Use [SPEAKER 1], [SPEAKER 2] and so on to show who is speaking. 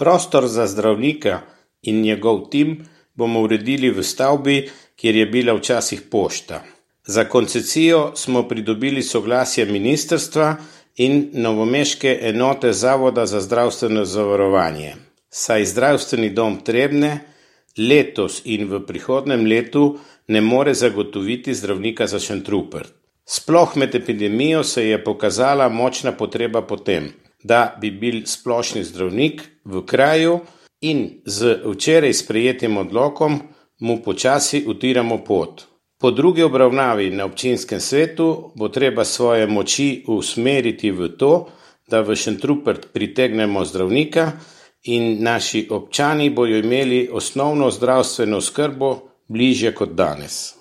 [SPEAKER 1] Prostor za zdravnika in njegov tim bomo uredili v stavbi, kjer je bila včasih pošta. Za koncesijo smo pridobili soglasje ministrstva in novomeške enote Zavoda za zdravstveno zavarovanje. Saj zdravstveni dom Trebnje letos in v prihodnjem letu ne more zagotoviti zdravnika za Šentrupert. Sploh med epidemijo se je pokazala močna potreba po tem, da bi bil splošni zdravnik v kraju in z včeraj sprejetim odlokom mu počasi utiramo pot. Po drugi obravnavi na občinskem svetu bo treba svoje moči usmeriti v to, da v Šentrupert pritegnemo zdravnika in naši občani bojo imeli osnovno zdravstveno oskrbo bližje kot danes.